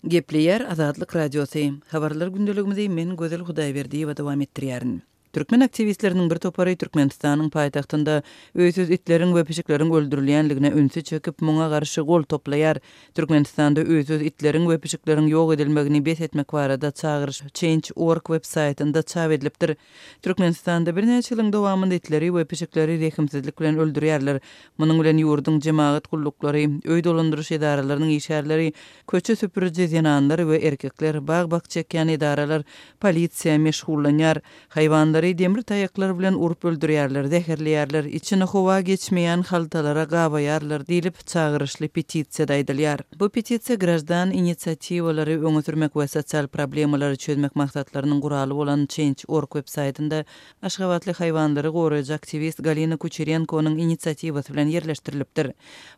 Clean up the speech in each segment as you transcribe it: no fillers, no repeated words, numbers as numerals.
Gepleýär Azatlyk Radiosy. Habarlar gündeligimizi men Gözel Hudaýberdiýewa dowam etdirýärin. Türkmen aktiwistleriniň bir topary Türkmenistanyň paýtagtynda öýsüz itleriň we pişikleriň öldürilýänligine ünsi çekip, muňa garşy gol toplaýar. Türkmenistanda öýsüz itleriň we pişikleriň ýok edilmegini bes etmek barada çagyryş Change. Org web-saýtynda çap edilipdir. Türkmenistanda birnäçe ýylyň dowamynda itleri we pişikleri rehimsizlik bilen öldürýärler. Munuň bilen ýurduň jemagat gulluklary, öý dolandyryş edaralarynyň işgärleri, köçe süpüriji zenanlar we erkekler, bag-bakja ekýän edaralar, polisiýa meşgullanýar. Haýwanlary demir taýaklar bilen urup öldürýärler, zäherleýärler, içine howa geçmeýän haltalara gabaýarlar diýlip, çagyryşly petisiýada aýdylýar. Bu petisiýa graždan inisiatiwalary öňe sürmek we sosial problemalary çözmek maksatlarynyň guraly bolan Change. Org websaýtynda aşgabatly haýwanlary goraýjy aktiwist Galina Kuçerenkonyň inisiatiwasy bilen ýerleşdirilipdir.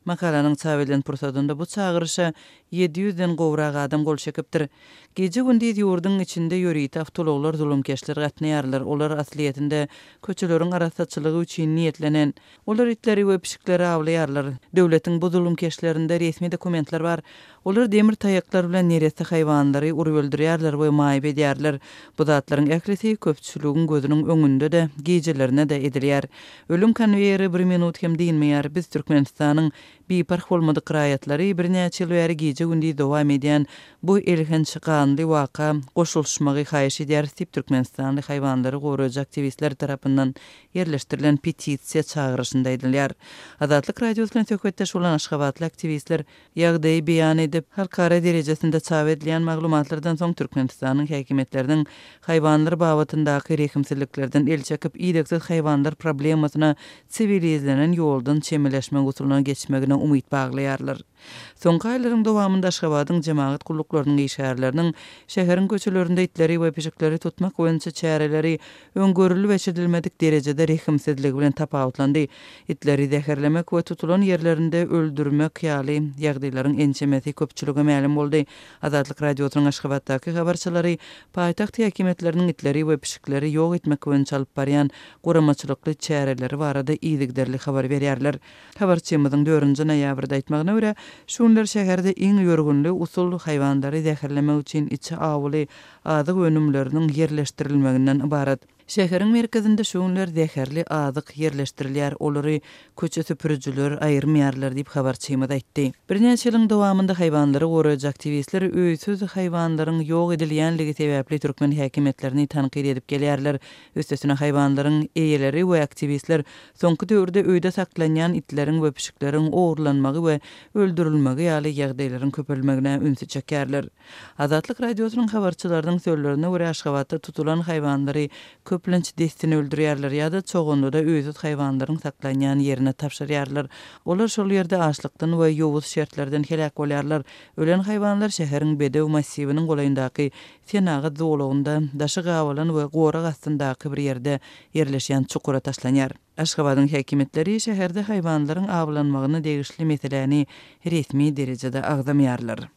Makalanyň çap edilen pursadynda bu çagyryşa 700 den gowrak adam gol çekipdir. Gije-gündiz ýurduň içinde ýörite awtoulaglar zulumkeşler gatnaýarlar, olar aslyýetinde köçeleriň arassaçylygy üçin niýetlenen. Olar itleri we pişikleri awlaýarlar. Döwletiň bu zulumkeşlerinde resmi dokumentler bar. Olar demir taýaklar bilen neresse haýwanlary urup öldürýärler we maýyp edýärler. Bu zatlaryň ählisi köpçüligiň gözüniň öňünde-de, gijelerine-de edilýär. Ölüm konweýeri bir minut hem dynmaýar. Biz Türkmenistanyň Biparh bolmadyk raýatlary birnäçe ýyl bäri gije-gündiz dowam edýän bu elhenç ganly waka goşulyşmagy haýyş edýäris diýip, türkmenistanly haýwanlary goraýjy aktiwistler tarapyndan ýerleşdirilen petisiýa çagyryşynda aýdylýar. Azatlyk Radiosy bilen söhbetdeş bolan aşgabatly aktiwistler ýagdaýy beýan edip, halkara derejesinde çap edilýän maglumatlardan soň Türkmenistanyň häkimiýetleriniň haýwanlar babatyndaky rehimsizliklerden el çekip, idegsiz haýwanlar problemasyna siwilizlenen ýoldan çemeleşmek usulyna geçmegine umyt baglaýarlar. Soňky aýlaryň dowamynda Aşgabadyň jemagat gulluklarynyň işgärleriniň şäheriň köçelerinde itleri we pişikleri tutmak boýunça çäreleri öň görülip-eşidilmedik derejede rehimsizligi bilen tapawutlandy. Itleri zäherlemek we tutulan ýerlerinde öldürmek ýaly ýagdaýlaryň ençemesi köpçülige mälim boldy. Azatlyk Radiosynyň Aşgabatdaky habarçylary paýtagt häkimiýetleriniň itleri we pişikleri ýok etmek boýunça alyp barýan guramaçylykly çäreleri barada yzygiderli habar berýärler. Habarçymyzyň dördünji noýabrda aýtmagyna görä, şu günler şäherde iň ýörgünli usul haýwanlary zäherlemek üçin içi awuly azyk önümleriniň ýerleşdirilmeginden ybarat. Şäheriň merkezinde şu günler zäherli azyk ýerleşdirilýär, olary köçe süpürijiler aýyrmaýarlar diýip, habarçymyz aýtdy. Birnäçe ýylyň dowamynda haýwanlary goraýjy aktiwistler öýsüz haýwanlaryň ýok edilýänligi sebäpli türkmen häkimiýetlerini tankyt edip gelýärler. Üstesine haýwanlaryň eýeleri we aktiwistler soňky döwürde öýde saklanýan itleriň we pişikleriň ogurlanmagy we öldürilmegi ýaly ýagdaýlaryň köpelmegine ünsi çekýärler. Azatlyk Radiosynyň habarçylarynyň sözlerine görä, Aşgabatda tutulan haýwanlary köplenç dessine öldürýärler ýa-da Çoganlyda öýsüz haýwanlaryň saklanýan ýerine tabşyrýarlar. Olar şol ýerde açlykdan we ýowuz şertlerden heläk bolýarlar. Ölen haýwanlar şäheriň Bedew massiwiniň golaýyndaky Senagat zolagynda, daşy gabalan we gorag astyndaky bir ýerde ýerleşýän çukura taşlanýar. Aşgabadyň häkimiýetleri şäherde haýwanlaryň awlanmagyna degişli meseläni resmi derejede agzamaýarlar.